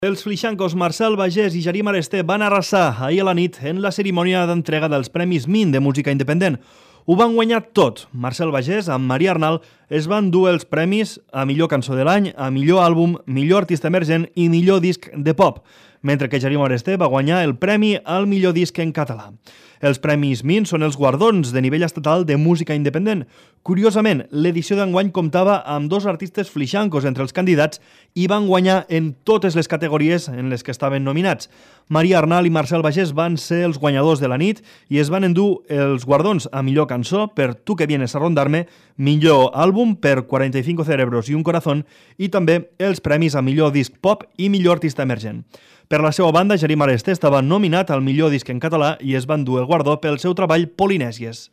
Els fliixancos Marcel Bagés i Jerim Aresté van arrasar ahir a la nit en la cerimònia d'entrega dels Premis Min de música independent. Ho van guanyar tot. Marcel Bagés, amb Maria Arnal, es van dur els premis a millor cançó de l'any, a millor àlbum, millor artista emergent i millor disc de pop, mentre que Jerim Aresté va guanyar el premi al millor disc en català. Els Premis Min són els guardons de nivell estatal de música independent. Curiosament, l'edició d'enguany comptava amb dos artistes fliixancos entre els candidats i van guanyar en totes les categories en les que estaven nominats. Maria Arnal i Marcel Bagés van ser els guanyadors de la nit i es van endur els guardons a millor cançó per Tu que vienes a rondarme, millor àlbum per 45 cerebros i un corazón i també els premis a millor disc pop i millor artista emergent. Per la seva banda, Jerim Aresté estava nominat al millor disc en català i es van dur el guardó pel seu treball Polinèsies.